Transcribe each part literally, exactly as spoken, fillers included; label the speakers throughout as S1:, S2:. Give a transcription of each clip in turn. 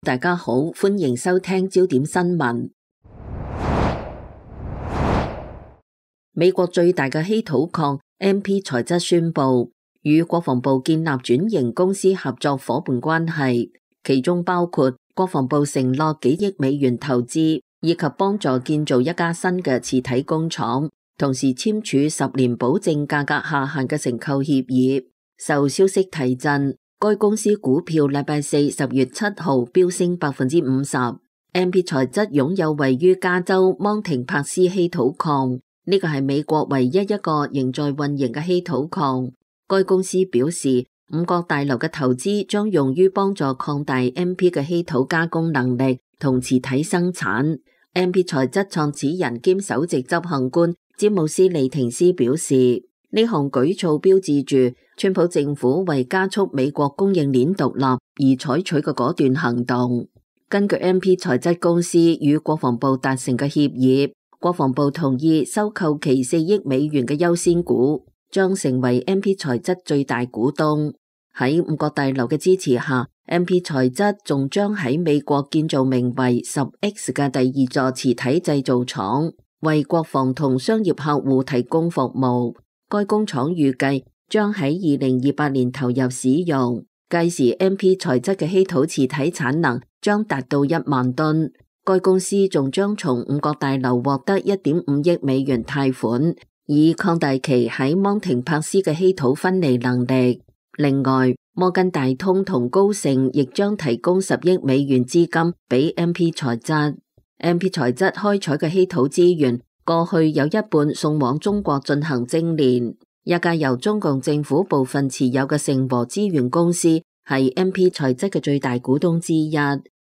S1: 大家好，歡迎收聽焦點新聞。美國最大嘅稀土礦 M P 材質宣布與國防部建立轉型公司合作夥伴關係，其中包括國防部承諾幾億美元投資，以及幫助建造一家新嘅磁體工廠，同時簽署十年保證價格下限嘅承購協議。受消息提振，該公司股票禮拜四十月七號飆升百分之五十。M P 材質擁有位於加州芒廷帕斯稀土礦，呢個係美國唯一一個仍在運營嘅稀土礦。該公司表示，五角大樓嘅投資將用於幫助擴大 M P 嘅稀土加工能力同磁體生產。M P 材質創始人兼首席執行官詹姆斯利廷斯表示，呢項舉措標誌住川普政府為加速美國供應鏈獨立而採取嘅果斷行動。根據 M P 材質公司與國防部達成嘅協議，國防部同意收購其四億美元嘅優先股，將成為 M P 材質最大股東。喺五角大樓嘅支持下， M P 材質仲將喺美國建造名為十 X 嘅第二座磁體製造廠，為國防同商業客戶提供服務。該工廠預計將喺二零二八年投入使用，屆時 M P 材質嘅稀土磁體產能將達到一萬噸。該公司仲將從五角大樓獲得一點五億美元貸款，以擴大其喺芒廷帕斯嘅稀土分離能力。另外，摩根大通同高盛亦將提供十億美元資金俾 M P 材質。M P 材質開採嘅稀土資源過去有一半送往中國進行精煉。一家由中共政府部分持有嘅成和資源公司係 M P 材質嘅最大股東之一，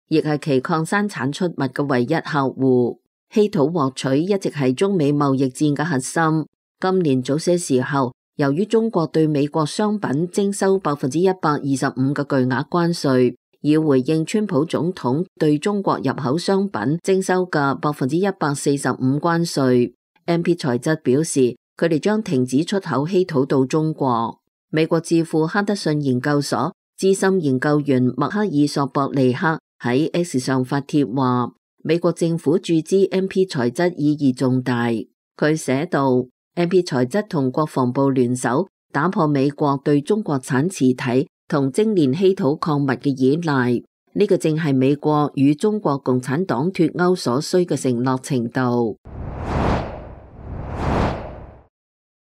S1: 亦係其礦山產出物嘅唯一客戶。稀土獲取一直係中美貿易戰嘅核心。今年早些時候，由於中國對美國商品徵收百分之一百二十五嘅巨額關稅，以回應川普總統對中國入口商品徵收嘅百分之一百四十五關稅。M P 材質表示，佢哋將停止出口稀土到中國。美國智庫哈德遜研究所資深研究員麥克爾索博尼克喺 X 上發帖話，美國政府注資 M P 材質意義重大。佢寫道，M P 材質同國防部聯手打破美國對中國產磁體同精煉稀土礦物嘅依賴，呢個正係美國與中國共產黨脫鈎所需嘅承諾程度。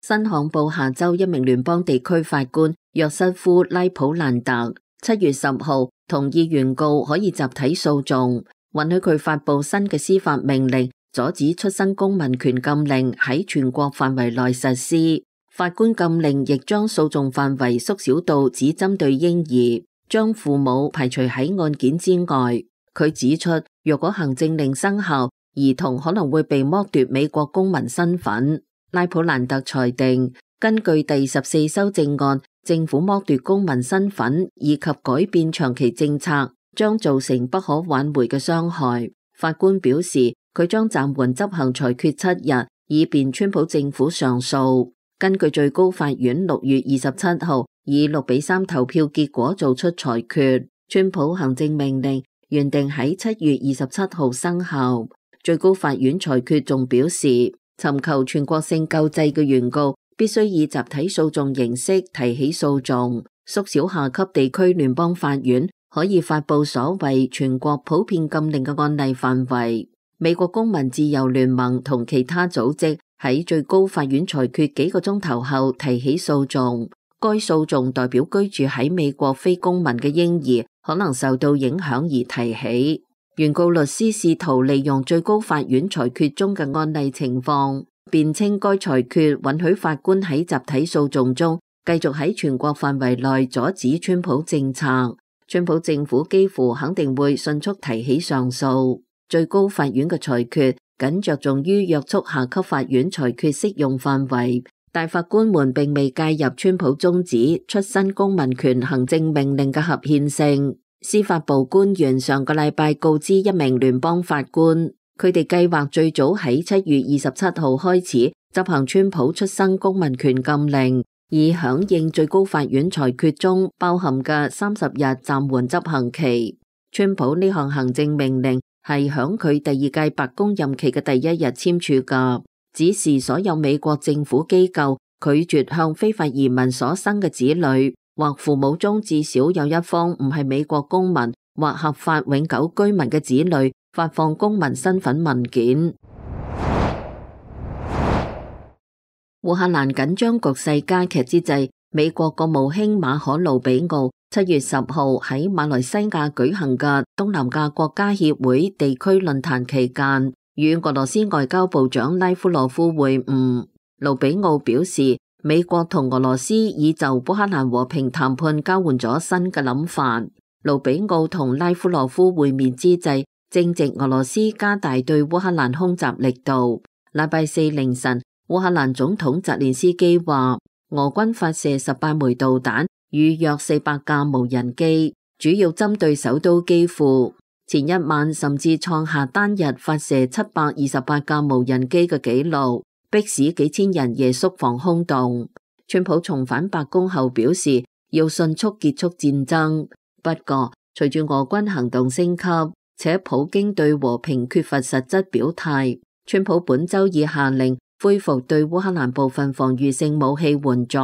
S1: 新罕布夏州一名聯邦地區法官約瑟夫拉普蘭特七月十號同意原告可以集體訴訟，允許佢發布新嘅司法命令，阻止出生公民權禁令喺全國範圍內實施。法官禁令亦將訴訟範圍縮小到只針對嬰兒，將父母排除喺案件之外。佢指出，若果行政令生效，兒童可能會被剝奪美國公民身份。拉普蘭特裁定，根據第十四修正案，政府剝奪公民身份以及改變長期政策，將造成不可挽回嘅傷害。法官表示，佢將暫緩執行裁決七日，以便川普政府上訴。根據最高法院六月二十七號以六比三投票結果做出裁決，川普行政命令原定喺七月二十七號生效。最高法院裁決仲表示，尋求全國性救濟嘅原告必須以集體訴訟形式提起訴訟，縮小下級地區聯邦法院可以發布所謂全國普遍禁令嘅案例範圍。美國公民自由聯盟同其他組織喺最高法院裁決幾個鐘頭後提起訴訟，該訴訟代表居住喺美國非公民嘅嬰兒可能受到影響而提起。原告律師試圖利用最高法院裁決中嘅案例情況，辯稱該裁決允許法官喺集體訴訟中繼續喺全國範圍內阻止川普政策。川普政府幾乎肯定會迅速提起上訴。最高法院嘅裁決僅着重於約束下級法院裁決適用範圍，但法官們並未介入川普終止出生公民權行政命令嘅合憲性。司法部官員上個禮拜告知一名聯邦法官，佢哋計劃最早喺七月二十七號開始執行川普出生公民權禁令，以響應最高法院裁決中包含嘅三十日暫緩執行期。川普呢項行政命令係響佢第二屆白宮任期嘅第一日簽署㗎，指示所有美國政府機構拒絕向非法移民所生嘅子女或父母中至少有一方唔係美國公民或合法永久居民嘅子女發放公民身份文件。烏克蘭緊張局勢加劇之際，美國國務卿馬可魯比奧七月十號喺馬來西亞舉行嘅東南亞國家協會地區論壇期間，與俄羅斯外交部長拉夫羅夫會晤。魯比奧表示，美國同俄羅斯已就烏克蘭和平談判交換咗新嘅諗法。魯比奧同拉夫羅夫會面之際，正值俄羅斯加大對烏克蘭空襲力度。禮拜四凌晨，烏克蘭總統澤連斯基話，俄軍發射十八枚導彈與約四百架無人機，主要針對首都基輔。前一晚甚至創下單日發射七百二十八架無人機嘅紀錄，迫使幾千人夜宿防空洞。川普重返白宮後表示，要迅速結束戰爭。不過，隨住俄軍行動升級，且普京對和平缺乏實質表態，川普本周已下令恢復對烏克蘭部分防禦性武器援助，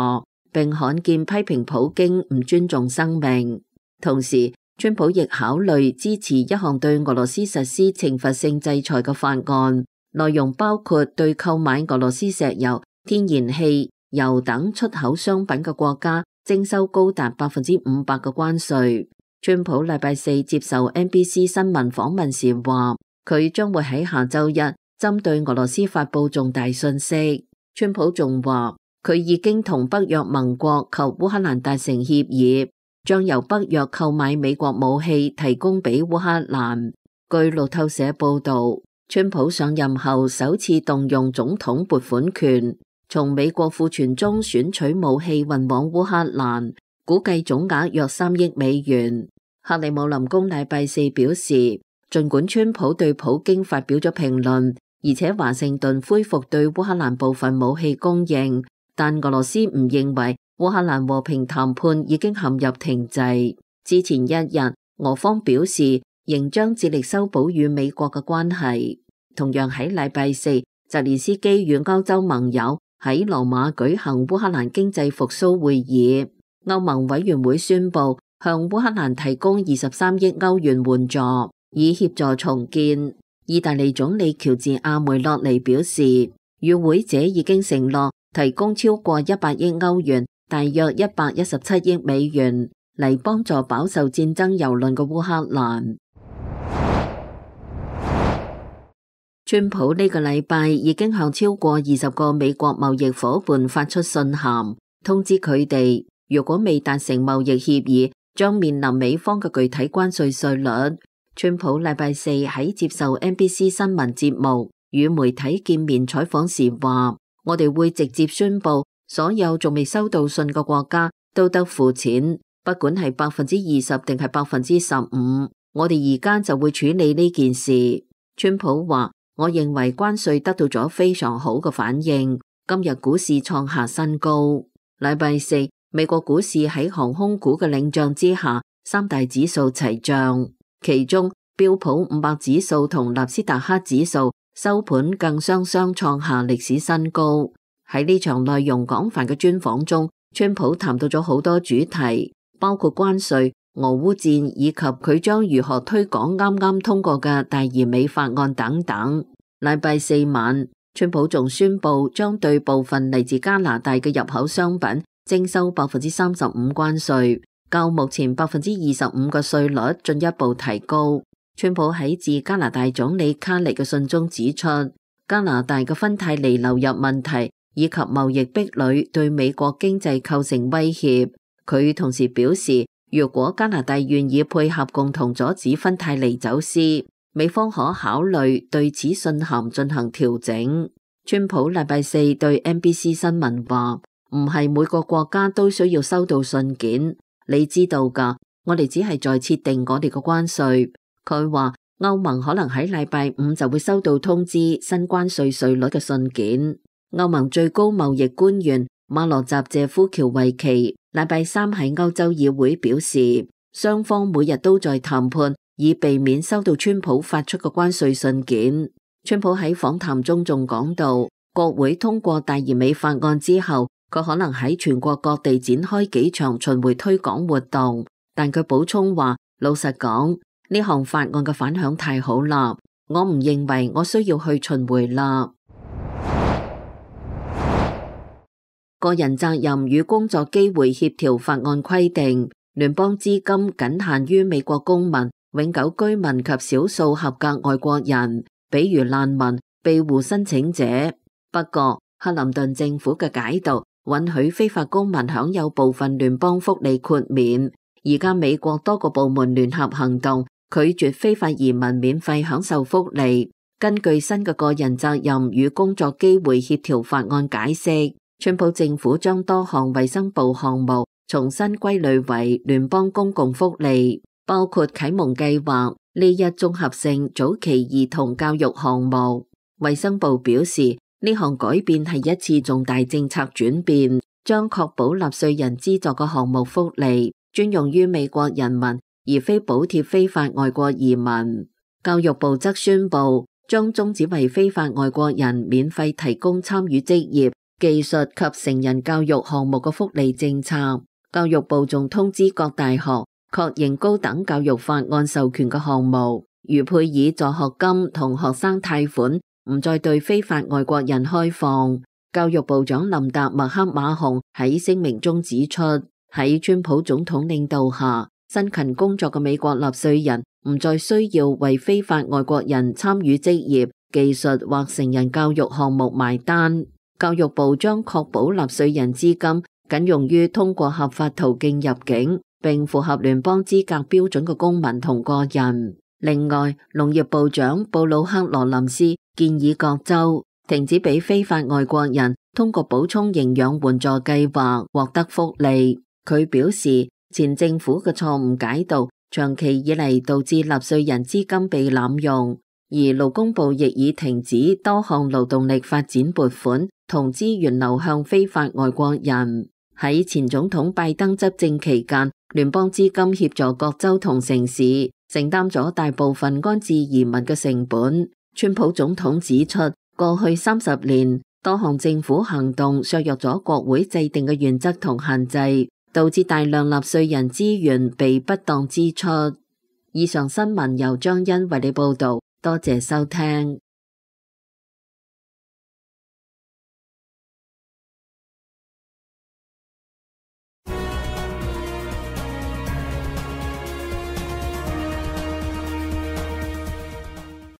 S1: 並罕見批評普京唔尊重生命。同時，川普亦考慮支持一項對俄羅斯實施懲罰性制裁嘅法案，內容包括對購買俄羅斯石油、天然氣、油等出口商品嘅國家徵收高達百分之五百嘅關稅。川普禮拜四接受 N B C 新聞訪問時話，佢將會喺下周一針對俄羅斯發佈重大訊息。川普仲話，佢已經同北約盟國及烏克蘭達成協議，將由北約購買美國武器提供俾烏克蘭。據路透社報道，川普上任後首次動用總統撥款權，從美國庫存中選取武器運往烏克蘭，估計總額約三億美元。克里姆林宮禮拜四表示，儘管川普對普京發表咗評論，而且華盛頓恢復對烏克蘭部分武器供應，但俄羅斯唔認為烏克蘭和平談判已經陷入停滯。之前一日，俄方表示仍將致力修補與美國嘅關係。同樣喺禮拜四，澤連斯基與歐洲盟友喺羅馬舉行烏克蘭經濟復甦會議，歐盟委員會宣布向烏克蘭提供二十三億歐元援助，以協助重建。意大利總理喬治亞梅洛尼表示，與會者已經承諾提供超過一百億歐元，大約一百一十七億美元，嚟幫助飽受戰爭蹂躪嘅烏克蘭。川普呢個禮拜已經向超過二十個美國貿易夥伴發出信函，通知佢哋，如果未達成貿易協議，將面臨美方嘅具體關稅稅率。川普禮拜四喺接受 N B C 新聞節目與媒體見面採訪時話，我哋會直接宣布，所有仲未收到信嘅國家都得付錢，不管係百分之二十定係百分之十五，我哋而家就會處理呢件事。川普話，我認為關稅得到咗非常好嘅反應，今日股市創下新高。禮拜四，美國股市喺航空股嘅領漲之下，三大指數齊漲，其中標普五百指數同納斯達克指數收盤更雙雙創下歷史新高。喺呢場內容廣泛嘅專訪中，川普談到咗好多主題，包括關稅、俄烏戰以及佢將如何推廣啱啱通過嘅大而美法案等等。禮拜四晚，川普仲宣布將對部分嚟自加拿大嘅入口商品徵收百分之三十五關稅，較目前百分之二十五嘅稅率進一步提高。川普喺致加拿大總理卡尼嘅信中指出，加拿大嘅芬太尼流入問題以及貿易壁壘對美國經濟構成威脅。佢同時表示，如果加拿大願意配合共同阻止芬太尼走私，美方可考慮對此信函進行調整。川普禮拜四對 N B C 新聞話，唔係每個國家都需要收到信件，你知道㗎，我哋只係在設定我哋嘅關稅。佢話歐盟可能喺禮拜五就會收到通知新關稅稅率嘅信件。歐盟最高貿易官員馬羅扎謝夫喬維奇禮拜三喺歐洲議會表示，雙方每日都在談判以避免收到川普發出嘅關稅信件。川普喺訪談中仲講到，國會通過大而美法案之後，佢可能喺全國各地展開幾場巡迴推廣活動，但佢補充話，老實講，呢項法案嘅反響太好啦，我唔認為我需要去巡迴啦。個人責任與工作機會協調法案規定，聯邦資金僅限於美國公民、永久居民及少數合格外國人，比如難民、庇護申請者。不過，克林頓政府嘅解讀允許非法公民享有部分聯邦福利豁免。而家美國多個部門聯合行動，拒絕非法移民免費享受福利。根據新嘅個人責任與工作機會協調法案解釋，川普政府將多項衛生部項目重新歸類為聯邦公共福利，包括啟蒙計劃呢一綜合性早期兒童教育項目。衛生部表示，呢項改變係一次重大政策轉變，將確保納稅人資助嘅項目福利專用於美國人民，而非補貼非法外國移民。教育部則宣布將終止為非法外國人免費提供參與職業、技術及成人教育項目嘅福利政策。教育部仲通知各大學確認高等教育法案授權嘅項目，如配以助學金同學生貸款，唔再對非法外國人開放。教育部長林達麥克馬洪喺聲明中指出，喺川普總統領導下，辛勤工作嘅美國納稅人唔再需要為非法外國人參與職業、技術或成人教育項目埋單。教育部將確保納稅人資金僅用於通過合法途徑入境並符合聯邦資格標準嘅公民同個人。另外，農業部長布魯克羅林斯建議各州停止俾非法外國人通過補充營養援助計劃獲得福利。佢表示，前政府嘅錯誤解讀長期以嚟導致納稅人資金被濫用，而勞工部亦已停止多項勞動力發展撥款同資源流向非法外國人。喺前總統拜登執政期間，聯邦資金協助各州同城市承擔咗大部分安置移民嘅成本。川普總統指出，過去三十年多項政府行動削弱咗國會制定嘅原則同限制，導致大量納稅人資源被不當支出。以上新聞由張欣為你報道，多謝收聽。